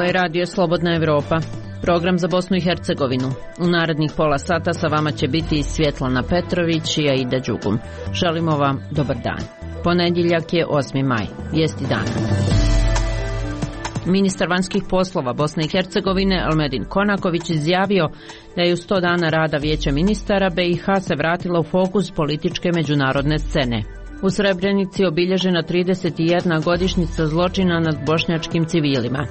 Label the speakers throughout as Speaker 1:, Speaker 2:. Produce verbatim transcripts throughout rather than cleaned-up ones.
Speaker 1: Ovo je radio Slobodna Evropa, program za Bosnu i Hercegovinu. U narednih pola sata sa vama će biti Svjetlana Petrović i Aida Đugum. Želimo vam dobar dan. Ponedjeljak je osmi maj, vijesti dana. Ministar vanjskih poslova Bosne i Hercegovine Elmedin Konaković izjavio da je u sto dana rada Vijeća ministara B i H se vratila u fokus političke međunarodne scene. U Srebrenici obilježena trideset jedna godišnjica zločina nad bošnjačkim civilima.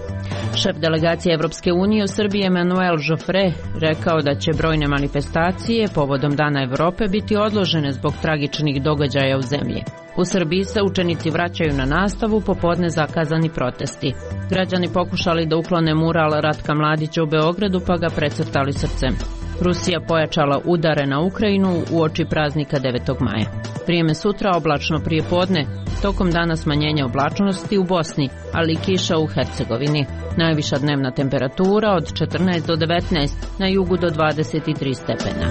Speaker 1: Šef delegacije Evropske unije u Srbiji Emanuel Joffre rekao da će brojne manifestacije povodom Dana Evrope biti odložene zbog tragičnih događaja u zemlji. U Srbiji se učenici vraćaju na nastavu, popodne zakazani protesti. Građani pokušali da uklone mural Ratka Mladića u Beogradu pa ga precrtali srcem. Rusija pojačala udare na Ukrajinu uoči praznika devetog maja. Vrijeme sutra oblačno prije podne, tokom dana smanjenja oblačnosti u Bosni, ali i kiša u Hercegovini. Najviša dnevna temperatura od četrnaest do devetnaest, na jugu do dvadeset tri stepena.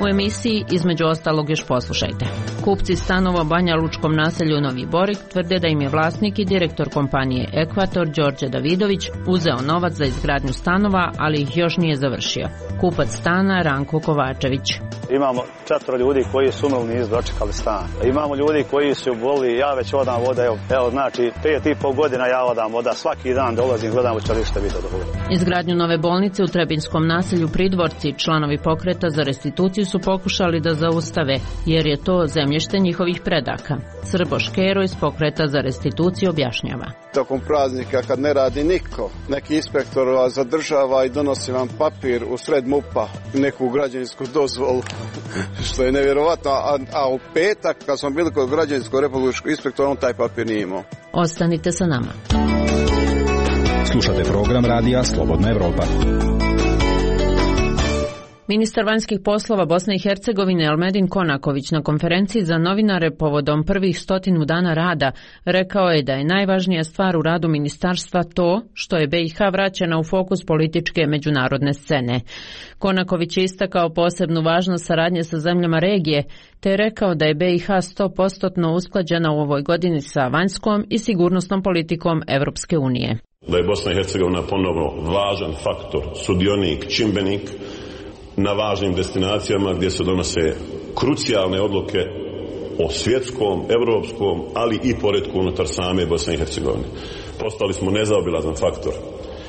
Speaker 1: U emisiji između ostalog još poslušajte. Kupci stanova u Banja Lučkom naselju Novi Borik tvrde da im je vlasnik i direktor kompanije Ekvator Đorđe Davidović uzeo novac za izgradnju stanova, ali ih još nije završio. Kupac stana Ranko Kovačević.
Speaker 2: Imamo četvro ljudi koji su umrli, nisu dočekali stan. Imamo ljudi koji su boli, ja već odam voda, evo, evo znači pet i pol godina ja odam voda, svaki dan dolazim, gledam u čelište vidi od voda.
Speaker 1: Izgradnju nove bolnice u Trebinskom naselju Pridvorci članovi pokreta za restituciju su pokušali da zaustave, jer je to zemljište njihovih predaka. Srbo Škero iz pokreta za restituciju objašnjava.
Speaker 3: Tokom praznika kad ne radi niko, neki inspektor vas zadržava i donosi vam papir u sred MUP-a, neku građevinsku dozvolu, što je nevjerovatno, a, a u petak kad smo bili kod građevinskog republičkog inspektora, on taj papir nije imao.
Speaker 1: Ostanite sa nama.
Speaker 4: Slušate program radija Slobodna Evropa.
Speaker 1: Ministar vanjskih poslova Bosne i Hercegovine Elmedin Konaković na konferenciji za novinare povodom prvih stotinu dana rada rekao je da je najvažnija stvar u radu ministarstva to što je B i H vraćena u fokus političke međunarodne scene. Konaković je istakao posebnu važnost saradnje sa zemljama regije, te je rekao da je B i H sto posto usklađena u ovoj godini sa vanjskom i sigurnosnom politikom Evropske unije.
Speaker 5: Da je Bosna i Hercegovina ponovno važan faktor, sudionik, čimbenik na važnim destinacijama gdje se donose krucijalne odluke o svjetskom, evropskom, ali i poretku unutar same Bosne i Hercegovine. Postali smo nezaobilazan faktor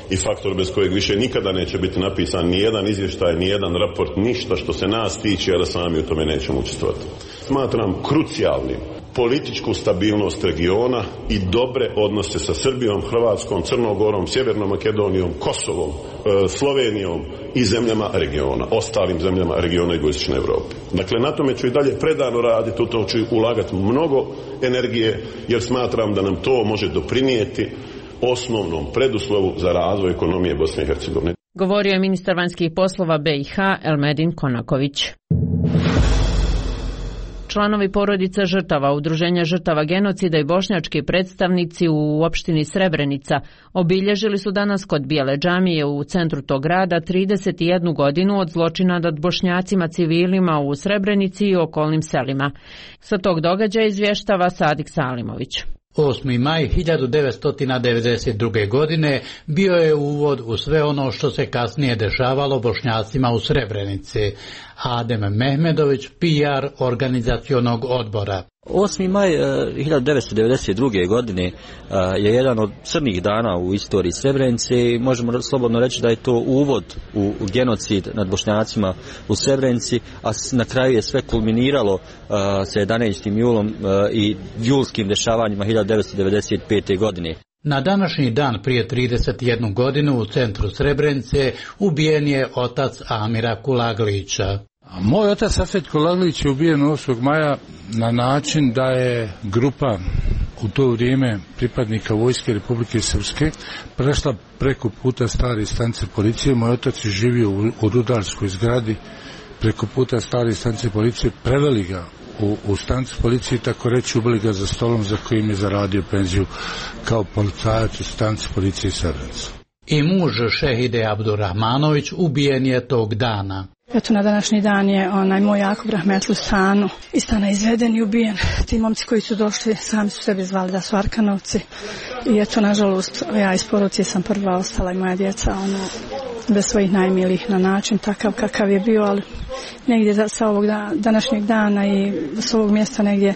Speaker 5: i faktor bez kojeg više nikada neće biti napisan ni jedan izvještaj, ni jedan raport, ništa što se nas tiče, a da sami u tome nećemo učestvovati. Smatram krucijalnim političku stabilnost regiona i dobre odnose sa Srbijom, Hrvatskom, Crnom Gorom, Sjevernom Makedonijom, Kosovom, e, Slovenijom i zemljama regiona, ostalim zemljama regiona Jugoistočne Europe. Dakle, na tome ću i dalje predano raditi, u to ću ulagati mnogo energije, jer smatram da nam to može doprinijeti osnovnom preduslovu za razvoj ekonomije Bosne i Hercegovine.
Speaker 1: Govorio je ministar vanjskih poslova B i H Elmedin Konaković. Članovi porodica žrtava, udruženja žrtava genocida i bošnjački predstavnici u opštini Srebrenica obilježili su danas kod Bijele džamije u centru tog grada trideset jednu godinu od zločina nad bošnjacima civilima u Srebrenici i okolnim selima. Sa tog događaja izvještava Sadik Salimović.
Speaker 6: osmi maj hiljadu devetsto devedeset druge. godine bio je uvod u sve ono što se kasnije dešavalo Bošnjacima u Srebrenici. Adem Mehmedović, P R organizacionog odbora.
Speaker 7: osmi maj hiljadu devetsto devedeset druge. godine je jedan od crnih dana u istoriji Srebrenice i možemo slobodno reći da je to uvod u genocid nad Bošnjacima u Srebrenici, a na kraju je sve kulminiralo sa jedanaestim julom i julskim dešavanjima hiljadu devetsto devedeset pete. godine.
Speaker 6: Na današnji dan prije trideset jednu godinu u centru Srebrenice ubijen je otac Amira Kulaglića.
Speaker 8: Moj otac Safet Kulaglić je ubijen osmog maja na način da je grupa u to vrijeme pripadnika vojske Republike Srpske prešla preko puta stare stanice policije. Moj otac je živio u, u rudarskoj zgradi preko puta stare stanice policije, preveli ga u, u stanicu policije, tako reći ubili ga za stolom za kojim je zaradio penziju kao policajac u stanici policije Srebrenica.
Speaker 6: I muž Šehide Abdurrahmanović ubijen je tog dana.
Speaker 9: Eto, na današnji dan je onaj moj Jakub Rahmetli u stanu iz stana izveden i ubijen. Ti momci koji su došli sami su sebi zvali da su Arkanovci. I eto, nažalost, ja iz porodice sam prva ostala i moja djeca ono, bez svojih najmilijih na način takav kakav je bio, ali negdje sa ovog da, današnjeg dana i s ovog mjesta negdje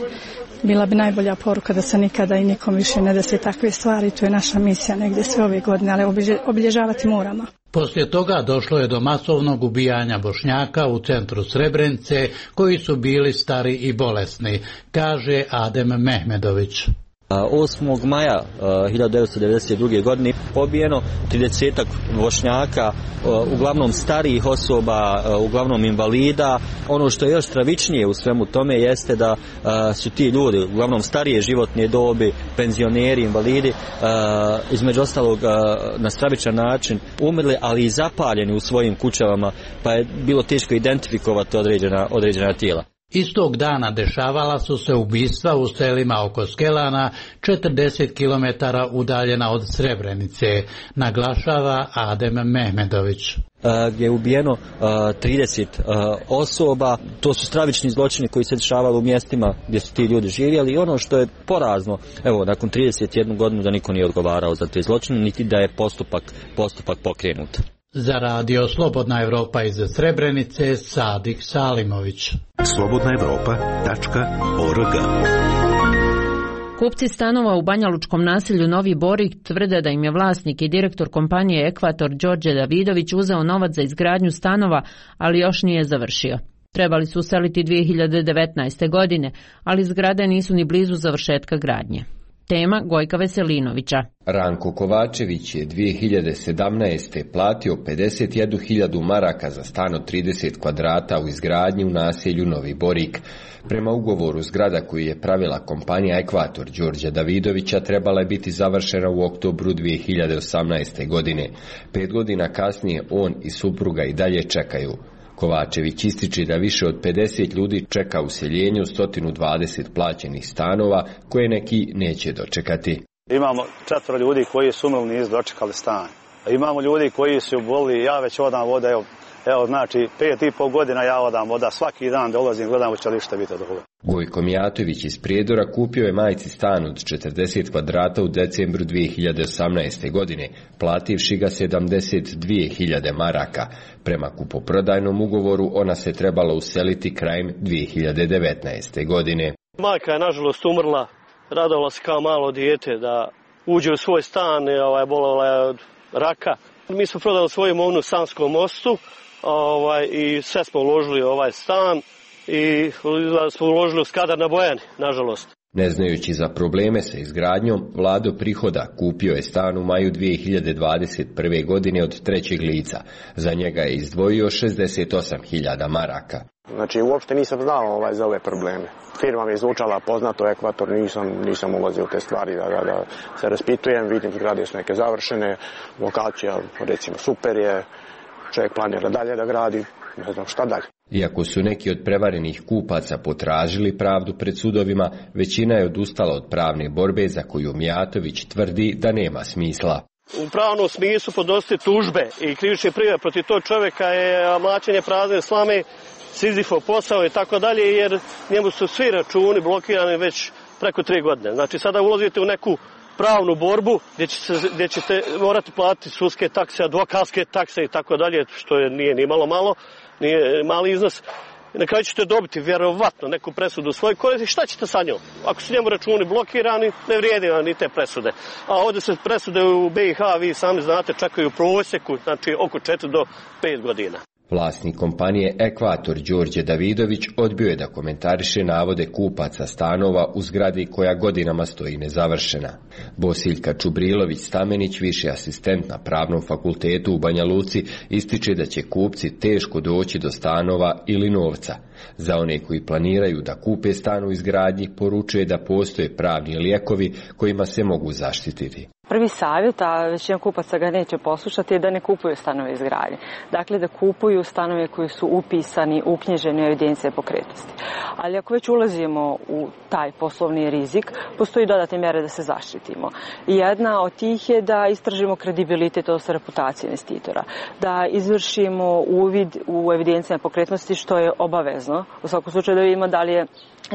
Speaker 9: bila bi najbolja poruka da se nikada i nikom više ne desi takve stvari. To je naša misija negdje sve ove godine, ali obilježavati moramo.
Speaker 6: Poslije toga došlo je do masovnog ubijanja Bošnjaka u centru Srebrenice koji su bili stari i bolesni, kaže Adem Mehmedović.
Speaker 7: osmog maja hiljadu devetsto devedeset druge. godine pobijeno tridesetak Bošnjaka, uglavnom starijih osoba, uglavnom invalida. Ono što je još stravičnije u svemu tome jeste da su ti ljudi, uglavnom starije životne dobi, penzioneri, invalidi, između ostalog na stravičan način umrli, ali i zapaljeni u svojim kućama, pa je bilo teško identifikovati određena, određena tijela.
Speaker 6: Istog dana dešavala su se ubistva u selima oko Skelana, četrdeset kilometara udaljena od Srebrenice, naglašava Adem Mehmedović.
Speaker 7: Gdje je ubijeno trideset osoba. To su stravični zločini koji se dešavali u mjestima gdje su ti ljudi živjeli i ono što je porazno, evo, nakon trideset jednu godinu da niko nije odgovarao za te zločine, niti da je postupak, postupak pokrenut.
Speaker 6: Za radio Slobodna Evropa iz Srebrenice, Sadik Salimović.
Speaker 10: slobodna evropa tačka org.
Speaker 1: Kupci stanova u banjalučkom naselju Novi Borik tvrde da im je vlasnik i direktor kompanije Ekvator Đorđe Davidović uzeo novac za izgradnju stanova, ali još nije završio. Trebali su useliti dvije hiljade devetnaeste. godine, ali zgrade nisu ni blizu završetka gradnje. Tema Gojka Veselinovića.
Speaker 11: Ranko Kovačević je dvije hiljade sedamnaeste. platio pedeset jednu hiljadu maraka za stan od trideset kvadrata u izgradnji u naselju Novi Borik. Prema ugovoru, zgrada koju je pravila kompanija Ekvator Đorđa Davidovića trebala je biti završena u oktobru dvije hiljade osamnaeste. godine. Pet godina kasnije on i supruga i dalje čekaju. Kovačević ističe da više od pedeset ljudi čeka useljenje u sto dvadeset plaćenih stanova koje neki neće dočekati.
Speaker 2: Imamo četvoro ljudi koji su umrli, nisu dočekali stan. Imamo ljudi koji su boli, ja već odam voda, evo, evo znači pet i pol godina ja odam voda, svaki dan dolazim, gledam hoće li šta biti od ovoga.
Speaker 11: Gojko Mijatović iz Prijedora kupio je majci stan od četrdeset kvadrata u decembru dvije hiljade osamnaeste. godine, plativši ga sedamdeset dvije hiljade maraka. Prema kupoprodajnom ugovoru ona se trebala useliti krajem dvije hiljade devetnaeste. godine.
Speaker 12: Majka je nažalost umrla, radovala se kao malo dijete da uđe u svoj stan, ovaj, bolela je od raka. Mi smo prodali svoju imovinu u Sanskom mostu ovaj, i sve smo uložili u ovaj stan i smo uložili u Skadar na Bojani, nažalost.
Speaker 11: Ne znajući za probleme sa izgradnjom, Vlado Prihoda kupio je stan u maju dvije hiljade dvadeset prve. godine od trećeg lica. Za njega je izdvojio šezdeset osam hiljada maraka.
Speaker 13: Znači, uopšte nisam znao ovaj, za ove probleme. Firma mi je zvučala poznato, Ekvator, nisam, nisam ulazio u te stvari da, da, da se raspitujem, vidim zgrade su neke završene, lokacija recimo super je, čovjek planira dalje da gradi, ne znam šta dalje.
Speaker 11: Iako su neki od prevarenih kupaca potražili pravdu pred sudovima, većina je odustala od pravne borbe za koju Mijatović tvrdi da nema smisla.
Speaker 12: U pravnom smislu podnositi tužbe i krivične prijave protiv tog čovjeka je mlaćenje prazne slame, Sizifov posao i tako dalje, jer njemu su svi računi blokirani već preko tri godine. Znači sada ulazite u neku pravnu borbu gdje, će se, gdje ćete morati platiti sudske takse, advokatske takse i tako dalje, što je, nije ni malo malo, nije mali iznos. Na kraju ćete dobiti vjerovatno neku presudu u svojoj koristi. Šta ćete sa njom? Ako su njemu računi blokirani, ne vrijedi vam ni te presude. A ovdje se presude u B i H, vi sami znate, čekaju u prosjeku, znači oko četiri do pet godina.
Speaker 11: Vlasnik kompanije Ekvator Đorđe Davidović odbio je da komentariše navode kupaca stanova u zgradi koja godinama stoji nezavršena. Bosiljka Čubrilović Stamenić, viši asistent na Pravnom fakultetu u Banja Luci, ističe da će kupci teško doći do stanova ili novca. Za one koji planiraju da kupe stan u izgradnji, poručuje da postoje pravni lijekovi kojima se mogu zaštititi.
Speaker 14: Prvi savjet, a većina kupaca ga neće poslušati, je da ne kupuju stanove izgradnje. Dakle, da kupuju stanove koji su upisani, uknjiženi u evidencije pokretnosti. Ali ako već ulazimo u taj poslovni rizik, postoji dodatne mjere da se zaštitimo. Jedna od tih je da istražimo kredibilitet, odnosno reputaciju investitora, da izvršimo uvid u evidencije pokretnosti, što je obavezno. U svakom slučaju da vidimo da li je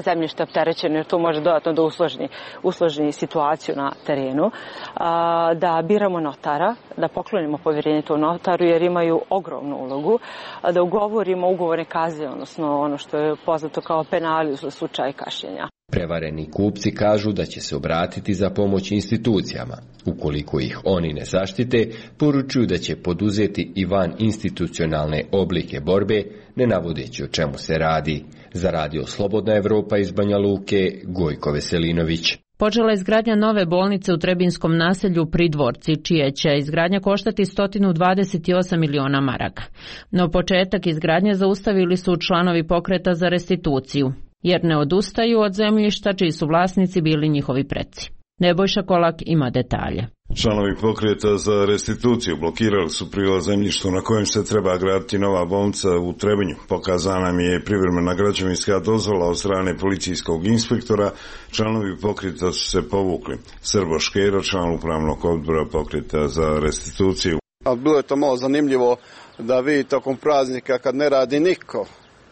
Speaker 14: zemljište opterećeno, jer to može dodatno da usložni, usložni situaciju na terenu, a, da biramo notara, da poklonimo povjerenje tom notaru, jer imaju ogromnu ulogu, a, da ugovorimo ugovorne kazne, odnosno ono što je poznato kao penali za slučaj kašnjenja.
Speaker 11: Prevareni kupci kažu da će se obratiti za pomoć institucijama. Ukoliko ih oni ne zaštite, poručuju da će poduzeti i van institucionalne oblike borbe, ne navodeći o čemu se radi. Za radio Slobodna Evropa iz Banja Luke, Gojko Veselinović.
Speaker 1: Počela je izgradnja nove bolnice u Trebinskom naselju Pridvorci, čije će izgradnja koštati sto dvadeset osam miliona maraka. No početak izgradnje zaustavili su članovi pokreta za restituciju, jer ne odustaju od zemljišta čiji su vlasnici bili njihovi preci. Nebojša Kolak ima detalje.
Speaker 15: Članovi pokreta za restituciju blokirali su prilaz zemljištu na kojem se treba graditi nova bolnica u Trebinju. Pokazana mi je privremena građevinska dozvola od strane policijskog inspektora. Članovi pokreta su se povukli. Srbo Škero, član upravnog odbora pokreta za restituciju.
Speaker 3: A bilo je to malo zanimljivo da vi tokom praznika, kad ne radi niko,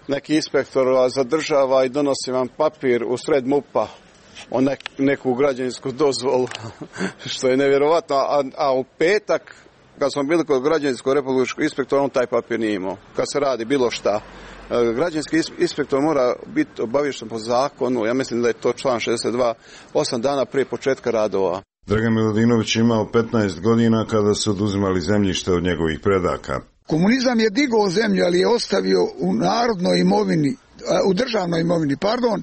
Speaker 3: neki inspektor vas zadržava i donosi vam papir u sred mupa o nek, neku građevinsku dozvolu, što je nevjerovatno, a, a u petak, kad smo bili kod građevinskog republičkog inspektora, on taj papir nije imao. Kad se radi bilo šta, građevinski inspektor mora biti obaviješten po zakonu, ja mislim da je to član šezdeset dva, osam dana prije početka radova.
Speaker 15: Dragan Miladinović imao petnaest godina kada su oduzimali zemljište od njegovih predaka.
Speaker 16: Komunizam je digao zemlju, ali je ostavio u narodnoj imovini, u državnoj imovini, pardon,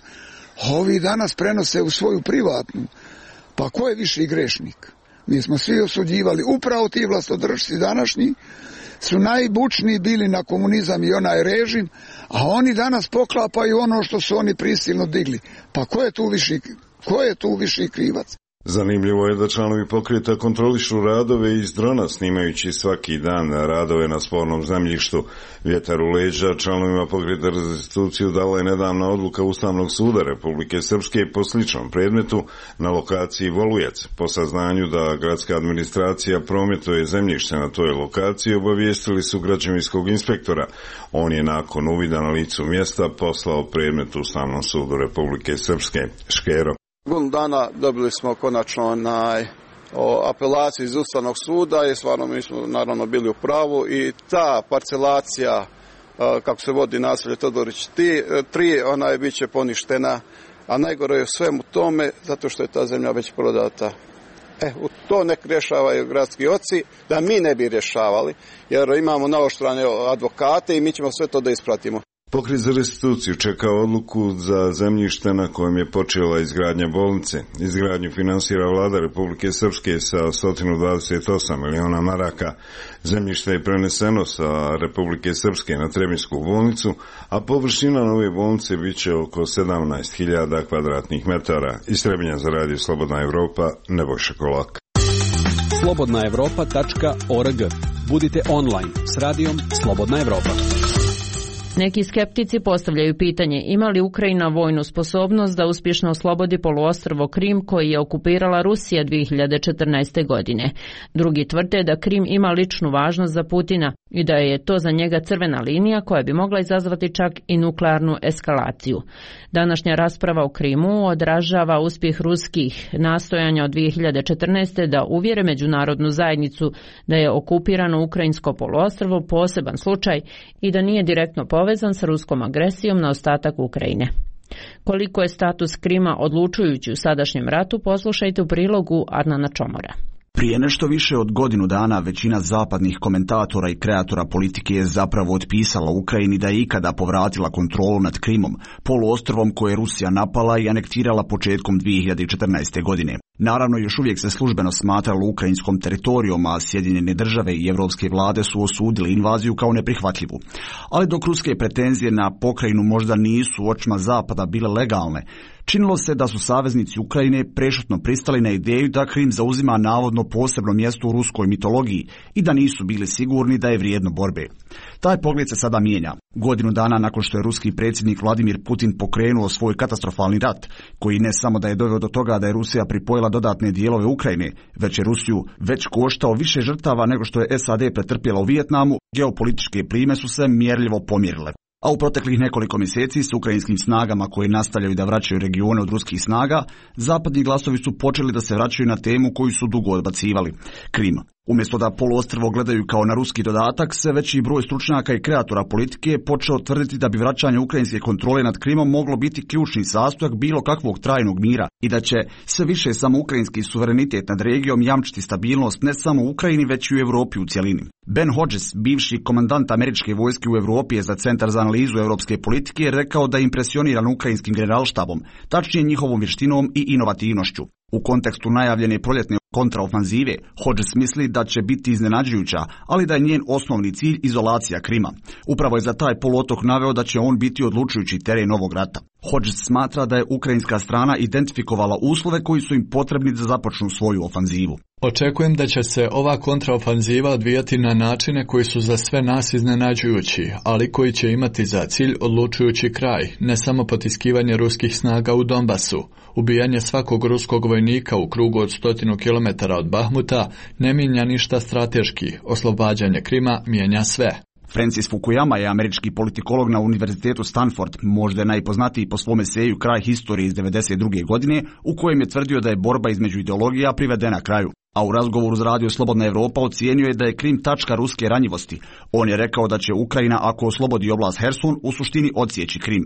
Speaker 16: ovi danas prenose u svoju privatnu. Pa ko je viši grešnik? Mi smo svi osuđivali, upravo ti vlastodržci današnji su najbučniji bili na komunizam i onaj režim, a oni danas poklapaju ono što su oni prisilno digli. Pa ko je tu viši, ko je tu viši krivac?
Speaker 15: Zanimljivo je da članovi pokreta kontrolišu radove iz drona, snimajući svaki dan radove na spornom zemljištu. Vjetar u leđa članovima pokreta za restituciju dala je nedavna odluka Ustavnog suda Republike Srpske po sličnom predmetu na lokaciji Volujac. Po saznanju da gradska administracija prometuje zemljište na toj lokaciji, obavijestili su građevinskog inspektora. On je nakon uvida na licu mjesta poslao predmet Ustavnom sudu Republike Srpske. Škero.
Speaker 3: Godinu dana dobili smo konačno onaj, o apelaciju iz Ustavnog suda i stvarno mi smo naravno bili u pravu i ta parcelacija, kako se vodi naselje Todorić tri, ona je bit će poništena, a najgore je u svemu tome zato što je ta zemlja već prodata. E, u to nek rješavaju gradski oci, da mi ne bi rješavali, jer imamo naoštrane advokate i mi ćemo sve to da ispratimo.
Speaker 15: Pokret za restituciju čeka odluku za zemljište na kojem je počela izgradnja bolnice. Izgradnju finansira vlada Republike Srpske sa sto dvadeset osam miliona maraka. Zemljište je preneseno sa Republike Srpske na Trebinsku bolnicu, a površina nove bolnice bit će oko sedamnaest hiljada kvadratnih metara. Iz Trebinja za radio Slobodna Evropa, Nebojša Kolak.
Speaker 17: slobodna evropa tačka org. Budite online s radijom Slobodna Evropa.
Speaker 1: Neki skeptici postavljaju pitanje ima li Ukrajina vojnu sposobnost da uspješno oslobodi poluostrvo Krim koji je okupirala Rusija dvije hiljade četrnaeste. godine. Drugi tvrde da Krim ima ličnu važnost za Putina i da je to za njega crvena linija koja bi mogla izazvati čak i nuklearnu eskalaciju. Današnja rasprava o Krimu odražava uspjeh ruskih nastojanja od dvije hiljade četrnaeste. da uvjere međunarodnu zajednicu da je okupirano ukrajinsko poluostrvo poseban slučaj i da nije direktno povezan sa ruskom agresijom na ostatak Ukrajine. Koliko je status Krima odlučujući u sadašnjem ratu, poslušajte u prilogu Arnana Čomora.
Speaker 18: Prije nešto više od godinu dana većina zapadnih komentatora i kreatora politike je zapravo otpisala Ukrajini da je ikada povratila kontrolu nad Krimom, poluostrvom koje je Rusija napala i anektirala početkom dvije hiljade četrnaeste. godine. Naravno, još uvijek se službeno smatralo ukrajinskom teritorijom, a Sjedinjene države i evropske vlade su osudili invaziju kao neprihvatljivu. Ali dok ruske pretenzije na pokrajinu možda nisu u očima Zapada bile legalne, činilo se da su saveznici Ukrajine prešutno pristali na ideju da Krim zauzima navodno posebno mjesto u ruskoj mitologiji i da nisu bili sigurni da je vrijedno borbe. Taj pogled se sada mijenja. Godinu dana nakon što je ruski predsjednik Vladimir Putin pokrenuo svoj katastrofalni rat, koji ne samo da je doveo do toga da je Rusija pripojila dodatne dijelove Ukrajine, već je Rusiju već koštao više žrtava nego što je S A D pretrpjela u Vijetnamu, geopolitičke plime su se mjerljivo pomjerile. A u proteklih nekoliko mjeseci s ukrajinskim snagama koje nastavljaju da vraćaju regione od ruskih snaga, zapadni glasovi su počeli da se vraćaju na temu koju su dugo odbacivali – Krim. Umjesto da poluostrvo gledaju kao na ruski dodatak, sve veći broj stručnjaka i kreatora politike je počeo tvrditi da bi vraćanje ukrajinske kontrole nad Krimom moglo biti ključni sastojak bilo kakvog trajnog mira i da će sve više samo ukrajinski suverenitet nad regijom jamčiti stabilnost ne samo u Ukrajini već i u Europi u cjelini. Ben Hodges, bivši komandant američke vojske u Europi je za Centar za analizu europske politike, je rekao da je impresioniran ukrajinskim generalštabom, tačnije njihovom vještinom i inovativnošću. U kontekstu najavljene proljetne kontraofanzive, Hodges misli da će biti iznenađujuća, ali da je njen osnovni cilj izolacija Krima. Upravo je za taj poluotok naveo da će on biti odlučujući teren ovog rata. Hodges smatra da je ukrajinska strana identifikovala uslove koji su im potrebni da započnu svoju ofanzivu.
Speaker 19: Očekujem da će se ova kontraofanziva odvijati na načine koji su za sve nas iznenađujući, ali koji će imati za cilj odlučujući kraj, ne samo potiskivanje ruskih snaga u Donbasu. Ubijanje svakog ruskog vojnika u krugu od stotinu kilometara od Bahmuta ne mijenja ništa strateški, oslobađanje Krima mijenja sve.
Speaker 18: Francis Fukuyama je američki politikolog na Univerzitetu Stanford, možda je najpoznatiji po svome eseju Kraj historije iz devedeset druge godine, u kojem je tvrdio da je borba između ideologija privedena kraju. A u razgovoru s Radio Slobodna Evropa ocijenio je da je Krim tačka ruske ranjivosti. On je rekao da će Ukrajina, ako oslobodi oblast Herson, u suštini odsjeći Krim.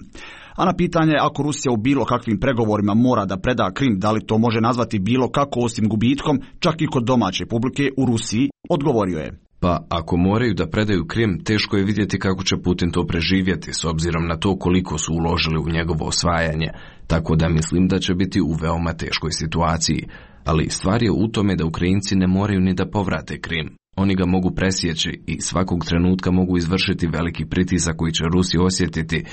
Speaker 18: A na pitanje ako Rusija u bilo kakvim pregovorima mora da preda Krim, da li to može nazvati bilo kako osim gubitkom, čak i kod domaće publike u Rusiji, odgovorio je.
Speaker 20: Pa ako moraju da predaju Krim, teško je vidjeti kako će Putin to preživjeti s obzirom na to koliko su uložili u njegovo osvajanje, tako da mislim da će biti u veoma teškoj situaciji. Ali stvar je u tome da Ukrajinci ne moraju ni da povrate Krim. Oni ga mogu presjeći i svakog trenutka mogu izvršiti veliki pritisak koji će Rusi osjetiti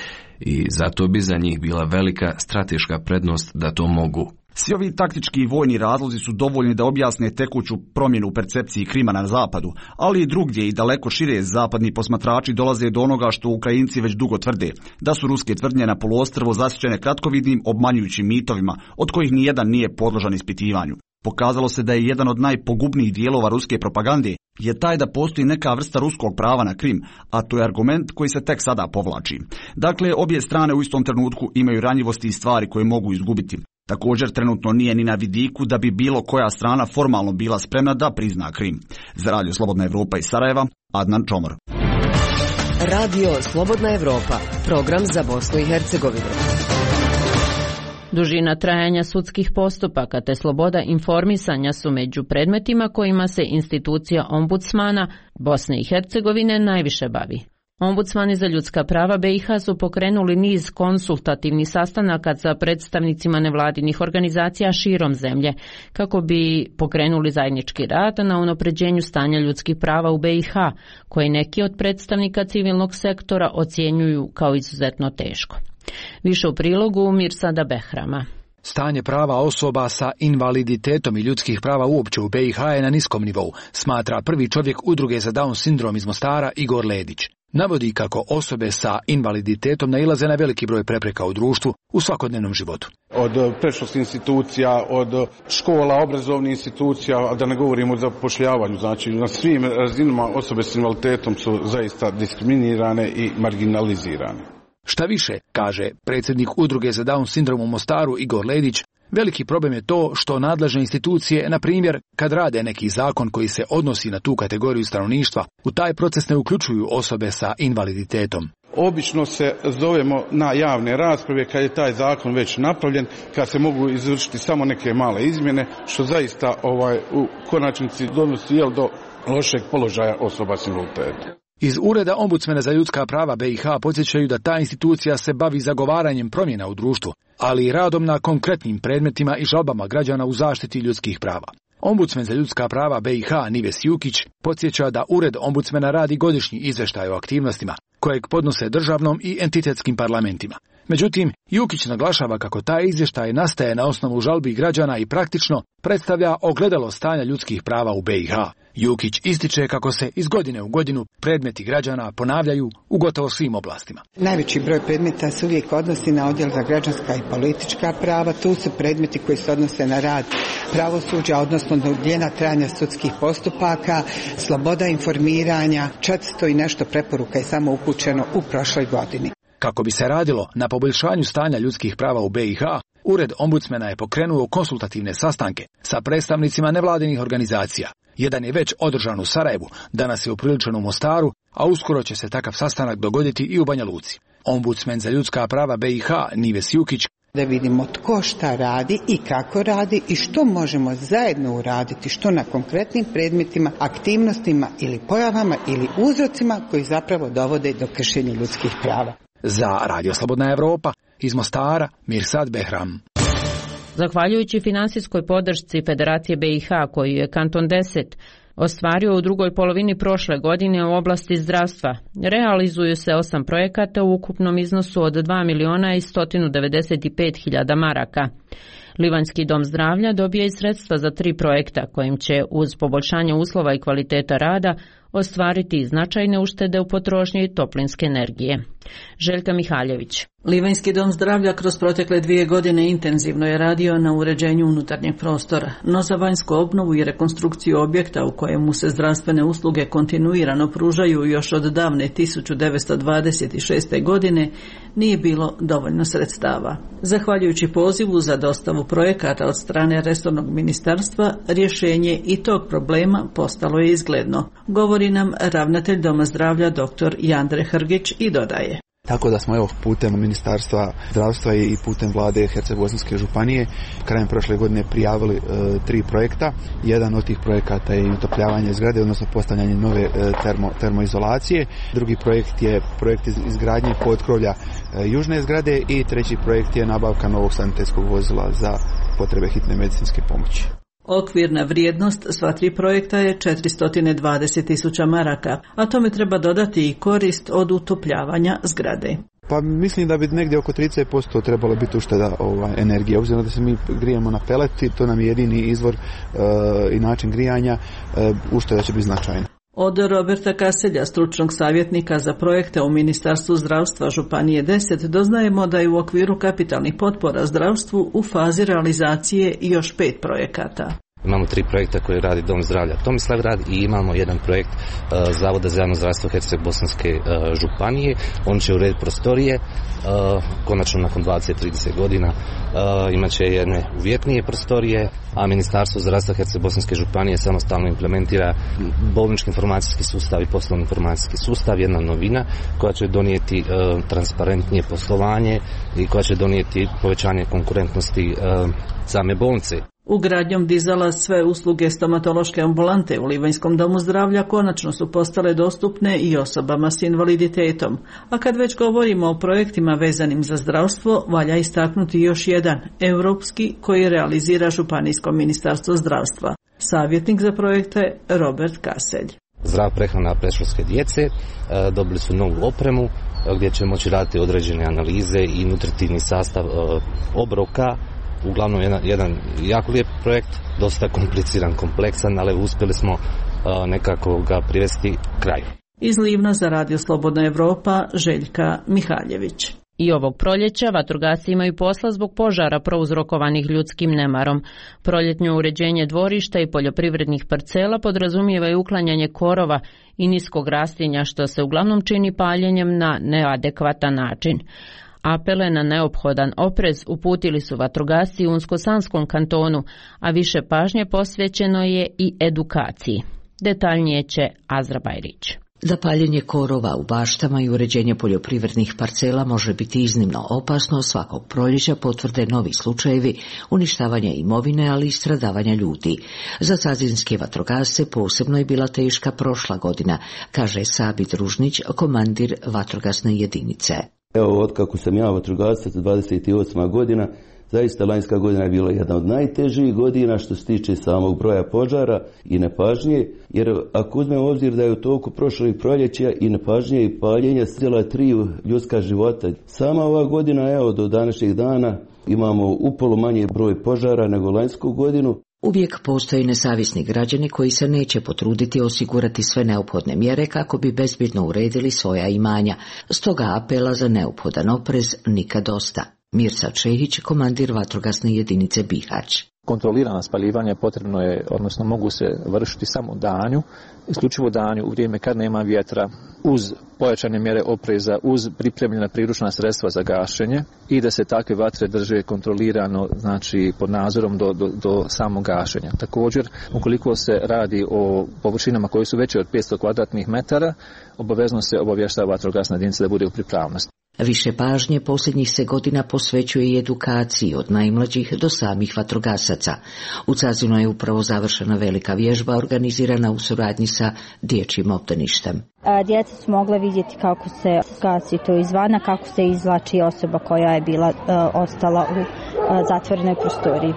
Speaker 20: i zato bi za njih bila velika strateška prednost da to mogu.
Speaker 18: Svi ovi taktički i vojni razlozi su dovoljni da objasne tekuću promjenu u percepciji Krima na zapadu, ali i drugdje i daleko šire zapadni posmatrači dolaze do onoga što Ukrajinci već dugo tvrde, da su ruske tvrdnje na poluostrvu zasićene kratkovidnim obmanjujućim mitovima, od kojih nijedan nije podložan ispitivanju. Pokazalo se da je jedan od najpogubnijih dijelova ruske propagande je taj da postoji neka vrsta ruskog prava na Krim, a to je argument koji se tek sada povlači. Dakle, obje strane u istom trenutku imaju ranjivosti i stvari koje mogu izgubiti. Također trenutno nije ni na vidiku da bi bilo koja strana formalno bila spremna da prizna Krim. Za Radio Slobodna Evropa iz Sarajeva, Adnan Čomor.
Speaker 21: Radio Slobodna Evropa, program za Bosnu i Hercegovinu.
Speaker 1: Dužina trajanja sudskih postupaka te sloboda informisanja su među predmetima kojima se institucija ombudsmana Bosne i Hercegovine najviše bavi. Ombudsmani za ljudska prava B i H su pokrenuli niz konsultativnih sastanaka sa predstavnicima nevladinih organizacija širom zemlje kako bi pokrenuli zajednički rad na unapređenju stanja ljudskih prava u B i H, koje neki od predstavnika civilnog sektora ocjenjuju kao izuzetno teško. Više u prilogu Mirsada Behrama.
Speaker 22: Stanje prava osoba sa invaliditetom i ljudskih prava uopće u B i H je na niskom nivou, smatra prvi čovjek udruge za Down sindrom iz Mostara Igor Ledić. Navodi kako osobe sa invaliditetom nailaze na veliki broj prepreka u društvu u svakodnevnom životu.
Speaker 23: Od predškolskih institucija, od škola, obrazovnih institucija, da ne govorimo o zapošljavanju, znači na svim razinama osobe s invaliditetom su zaista diskriminirane i marginalizirane.
Speaker 22: Šta više, kaže predsjednik udruge za Down sindrom u Mostaru Igor Ledić, veliki problem je to što nadležne institucije, na primjer, kad rade neki zakon koji se odnosi na tu kategoriju stanovništva, u taj proces ne uključuju osobe sa invaliditetom.
Speaker 23: Obično se zovemo na javne rasprave kad je taj zakon već napravljen, kad se mogu izvršiti samo neke male izmjene, što zaista ovaj, u konačnici donosi jel, do lošeg položaja osoba s invaliditetom.
Speaker 22: Iz Ureda ombudsmena za ljudska prava B i H podsjećaju da ta institucija se bavi zagovaranjem promjena u društvu, ali i radom na konkretnim predmetima i žalbama građana u zaštiti ljudskih prava. Ombudsmen za ljudska prava B i H Nives Jukić podsjeća da Ured ombudsmena radi godišnji izvještaj o aktivnostima kojeg podnose državnom i entitetskim parlamentima. Međutim, Jukić naglašava kako taj izvještaj nastaje na osnovu žalbi građana i praktično predstavlja ogledalo stanja ljudskih prava u B i H. Jukić ističe kako se iz godine u godinu predmeti građana ponavljaju u gotovo svim oblastima.
Speaker 4: Najveći broj predmeta se uvijek odnosi na odjel za građanska i politička prava. Tu su predmeti koji se odnose na rad pravosuđa, odnosno duljina trajanja sudskih postupaka, sloboda informiranja, četiristo i nešto preporuka je samo upućeno u prošloj godini.
Speaker 22: Kako bi se radilo na poboljšanju stanja ljudskih prava u B i H, Ured ombudsmena je pokrenuo konsultativne sastanke sa predstavnicima nevladinih organizacija. Jedan je već održan u Sarajevu, danas je upriličen u Mostaru, a uskoro će se takav sastanak dogoditi i u Banja Luci. Ombudsmen za ljudska prava B i H Nives Jukić
Speaker 4: da vidimo tko šta radi i kako radi i što možemo zajedno uraditi, što na konkretnim predmetima, aktivnostima ili pojavama ili uzrocima koji zapravo dovode do kršenja ljudskih prava.
Speaker 22: Za Radio Slobodna Evropa, iz Mostara, Mirsad Behram.
Speaker 1: Zahvaljujući finansijskoj podršci Federacije B i H koju je Kanton deset ostvario u drugoj polovini prošle godine u oblasti zdravstva, realizuju se osam projekata u ukupnom iznosu od dva miliona i sto devedeset pet hiljada maraka. Livanjski dom zdravlja dobije i sredstva za tri projekta kojim će uz poboljšanje uslova i kvaliteta rada ostvariti značajne uštede u potrošnji toplinske energije. Željka Mihaljević.
Speaker 5: Livanjski dom zdravlja kroz protekle dvije godine intenzivno je radio na uređenju unutarnjeg prostora, no za vanjsku obnovu i rekonstrukciju objekta u kojemu se zdravstvene usluge kontinuirano pružaju još od davne tisuću devetsto dvadeset šeste. godine nije bilo dovoljno sredstava. Zahvaljujući pozivu za dostavu projekata od strane resornog ministarstva, rješenje i tog problema postalo je izgledno, govori nam ravnatelj Doma zdravlja dr. Jandre Hrgić i dodaje.
Speaker 8: Tako da smo evo putem Ministarstva zdravstva i putem vlade Herceg-Bosanske županije krajem prošle godine prijavili e, tri projekta. Jedan od tih projekata je utopljavanje zgrade, odnosno postavljanje nove e, termo, termoizolacije. Drugi projekt je projekt iz, izgradnje potkrovlja e, južne zgrade i treći projekt je nabavka novog sanitetskog vozila za potrebe hitne medicinske pomoći.
Speaker 5: Okvirna vrijednost sva tri projekta je četiristo dvadeset tisuća maraka, a tome treba dodati i korist od utopljavanja zgrade.
Speaker 8: Pa mislim da bi negdje oko trideset posto trebalo biti ušteda ovaj, energije. Obzirom da se mi grijemo na peleti, to nam je jedini izvor e, i način grijanja, e, ušteda će biti značajna.
Speaker 5: Od Roberta Kaselja, stručnog savjetnika za projekte u Ministarstvu zdravstva Županije deset, doznajemo da je u okviru kapitalnih potpora zdravstvu u fazi realizacije još pet projekata.
Speaker 24: Imamo tri projekta koje radi Dom zdravlja Tomislavgrad i imamo jedan projekt uh, Zavoda za javno zdravstvo Herceg-Bosanske uh, županije. On će urediti prostorije, uh, konačno nakon dvadeset do trideset godina uh, imat će jedne uvjetnije prostorije, a Ministarstvo zdravstva Herceg-Bosanske županije samostalno implementira bolnički informacijski sustav i poslovni informacijski sustav, jedna novina koja će donijeti uh, transparentnije poslovanje i koja će donijeti povećanje konkurentnosti uh, same bolnice.
Speaker 5: Ugradnjom dizala sve usluge stomatološke ambulante u Livanjskom domu zdravlja konačno su postale dostupne i osobama s invaliditetom. A kad već govorimo o projektima vezanim za zdravstvo, valja istaknuti još jedan, europski, koji realizira Županijsko ministarstvo zdravstva. Savjetnik za projekte Robert Kaselj.
Speaker 24: Zdrava prehrana predškolske djece, dobili su novu opremu gdje će moći raditi određene analize i nutritivni sastav obroka. Uglavnom jedan, jedan jako lijep projekt, dosta kompliciran, kompleksan, ali uspjeli smo uh, nekako ga privesti kraju.
Speaker 5: Iz Livna za Radio Slobodna Evropa, Željka Mihaljević.
Speaker 1: I ovog proljeća vatrogasci imaju posla zbog požara prouzrokovanih ljudskim nemarom. Proljetnje uređenje dvorišta i poljoprivrednih parcela podrazumijeva i uklanjanje korova i niskog rastinja, što se uglavnom čini paljenjem na neadekvatan način. Apele na neophodan oprez uputili su vatrogasci u Unsko-Sanskom kantonu, a više pažnje posvećeno je i edukaciji. Detaljnije će Azra Bajrić.
Speaker 25: Da paljenje korova u baštama i uređenje poljoprivrednih parcela može biti iznimno opasno, svakog proljeća potvrde novi slučajevi uništavanja imovine, ali i stradavanja ljudi. Za cazinske vatrogasce posebno je bila teška prošla godina, kaže Sabit Ružnić, komandir vatrogasne jedinice.
Speaker 2: Evo, otkako sam ja vatrogasac, dvadeset osma godina, zaista lanjska godina je bila jedna od najtežih godina što se tiče samog broja požara i nepažnje, jer ako uzmemo u obzir da je u toku prošlih proljeća i nepažnje i paljenja stjela tri ljudska života. Sama ova godina, evo, do današnjeg dana imamo upolo manji broj požara nego lanjsku godinu.
Speaker 25: Uvijek postoji nesavisni građani koji se neće potruditi osigurati sve neophodne mjere kako bi bezbjedno uredili svoja imanja. Stoga apela za neophodan oprez nikad dosta. Mirsa Čehić, komandir vatrogasne jedinice Bihać.
Speaker 6: Kontrolirana spaljivanja potrebno je, odnosno mogu se vršiti samo danju, isključivo danju u vrijeme kad nema vjetra, uz pojačane mjere opreza, uz pripremljena priručna sredstva za gašenje i da se takve vatre drže kontrolirano, znači pod nadzorom do, do, do samog gašenja. Također, ukoliko se radi o površinama koje su veće od petsto kvadratnih metara, obavezno se obavještava vatrogasna jedinica da bude u pripravnosti.
Speaker 25: Više pažnje posljednjih se godina posvećuje i edukaciji od najmlađih do samih vatrogasaca. U Cazinu je upravo završena velika vježba organizirana u suradnji sa dječjim obdaništem.
Speaker 7: Djeca su mogla vidjeti kako se gasi to izvana, kako se izvlači osoba koja je bila uh, ostala u uh, zatvorenoj prostoriji.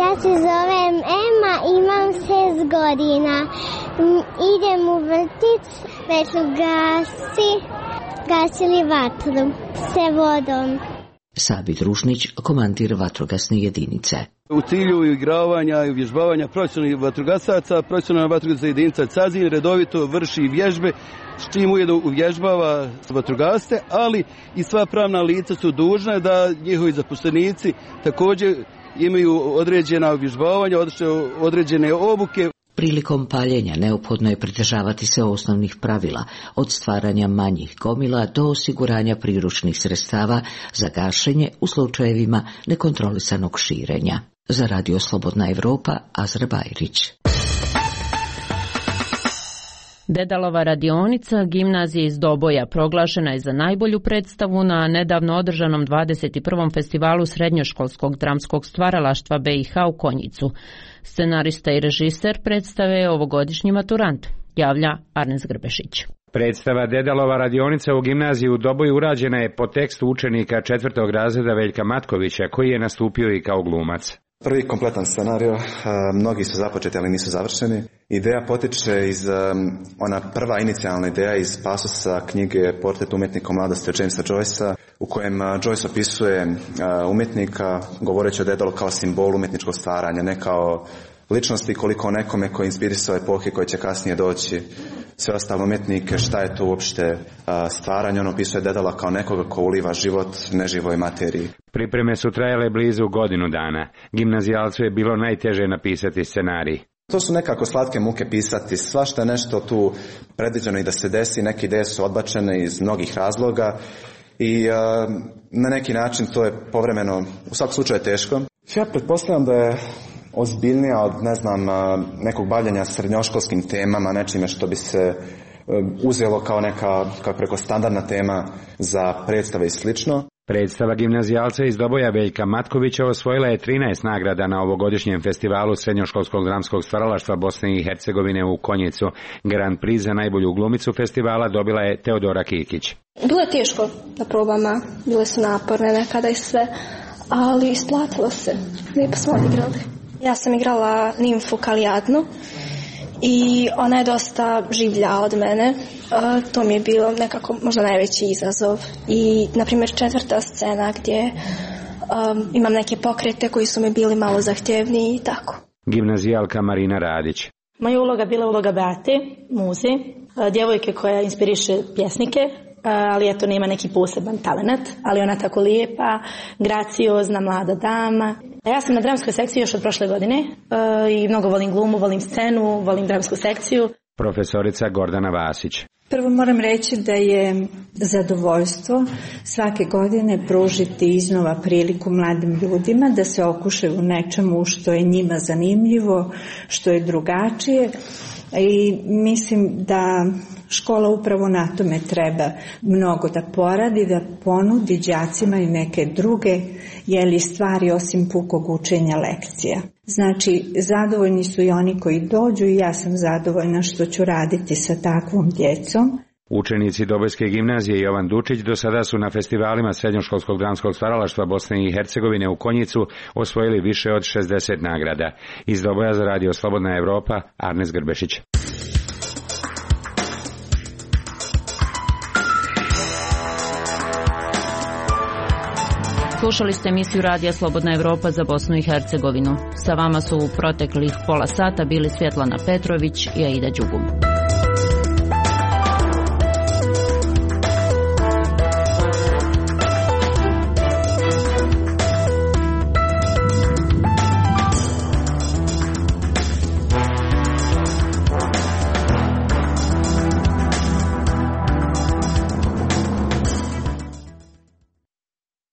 Speaker 9: Ja se zovem Ema, imam šest godina. Idem u vrtić, već gasi, gasili vatru se vodom.
Speaker 25: Sabi Družnić, komandir vatrogasne jedinice.
Speaker 10: U cilju igravanja i uvježbavanja profesionalnih vatrogasaca, profesionalna vatrogasna jedinica Cazin redovito vrši vježbe, s čim ujedno uvježbava vatrogasce, ali i sva pravna lica su dužna da njihovi zaposlenici također imaju određena uvježbavanja, određene obuke.
Speaker 25: Prilikom paljenja neophodno je pridržavati se osnovnih pravila, od stvaranja manjih gomila do osiguranja priručnih sredstava za gašenje u slučajevima nekontrolisanog širenja. Za Radio Slobodna Evropa, Azra Bajrić.
Speaker 1: Dedalova radionica gimnazije iz Doboja proglašena je za najbolju predstavu na nedavno održanom dvadeset prvom festivalu srednjoškolskog dramskog stvaralaštva B i H u Konjicu. Scenarista i režiser predstave je ovogodišnji maturant, javlja Arnes Grbešić.
Speaker 26: Predstava Dedalova radionica u gimnaziji u Doboju urađena je po tekstu učenika četvrtog razreda Veljka Matkovića, koji je nastupio i kao glumac.
Speaker 27: Prvi kompletan scenario, mnogi su započeti, ali nisu završeni. Ideja potiče iz, ona prva inicijalna ideja iz pasusa knjige Portret umjetnika u mladosti od Jamesa Joycea, u kojem Joyce opisuje umjetnika govoreći o Dedalu kao simbol umjetničkog stvaranja, ne kao ličnosti, koliko nekome koji inspirisao epohe koje će kasnije doći. Sve ostale umjetnike, šta je to uopšte stvaranje, on opisuje Dedala kao nekoga ko uliva život neživoj materiji.
Speaker 26: Pripreme su trajale blizu godinu dana. Gimnazijalcu je bilo najteže napisati scenarij.
Speaker 27: To su nekako slatke muke pisati, svašta je nešto tu predviđeno i da se desi, neke ideje su odbačene iz mnogih razloga i uh, na neki način to je povremeno, u svakom slučaju teško. Ja pretpostavljam da je ozbiljnija od, ne znam, nekog bavljenja srednjoškolskim temama, nečime što bi se uzelo kao neka, kako preko standardna tema za predstave i slično.
Speaker 26: Predstava gimnazijalca iz Doboja Veljka Matkovića osvojila je trinaest nagrada na ovogodišnjem festivalu srednjoškolskog dramskog stvaralaštva Bosne i Hercegovine u Konjicu. Grand Prix za najbolju glumicu festivala dobila je Teodora Kikić.
Speaker 28: Bilo je teško na probama, bile su naporne nekada i sve, ali isplatilo se. Lijepo smo odigrali. Ja sam igrala nimfu Kalijadnu i ona je dosta življa od mene. Uh, to mi je bilo nekako možda najveći izazov. I, na primjer, četvrta scena gdje um, imam neke pokrete koji su mi bili malo zahtjevniji i tako.
Speaker 26: Gimnazijalka Marina Radić.
Speaker 29: Moja uloga bila uloga Beate, muze, uh, djevojke koja inspiriše pjesnike, ali eto nema neki poseban talent, ali ona tako lijepa, graciozna, mlada dama. Ja sam na dramskoj sekciji još od prošle godine i mnogo volim glumu, volim scenu, volim dramsku sekciju.
Speaker 26: Profesorica Gordana Vasić.
Speaker 30: Prvo moram reći da je zadovoljstvo svake godine pružiti iznova priliku mladim ljudima da se okušaju u nečemu što je njima zanimljivo, što je drugačije. I mislim da škola upravo na tome treba mnogo da poradi, da ponudi đacima i neke druge jeli stvari osim pukog učenja lekcija. Znači, zadovoljni su i oni koji dođu i ja sam zadovoljna što ću raditi sa takvom djecom.
Speaker 26: Učenici Dobojske gimnazije Jovan Dučić do sada su na festivalima srednjoškolskog dramskog stvaralaštva Bosne i Hercegovine u Konjicu osvojili više od šezdeset nagrada. Iz Doboja za Radio Slobodna Evropa, Arnes Grbešić.
Speaker 1: Slušali ste emisiju Radija Slobodna Evropa za Bosnu i Hercegovinu. Sa vama su u proteklih pola sata bili Svjetlana Petrović i Aida Đugum.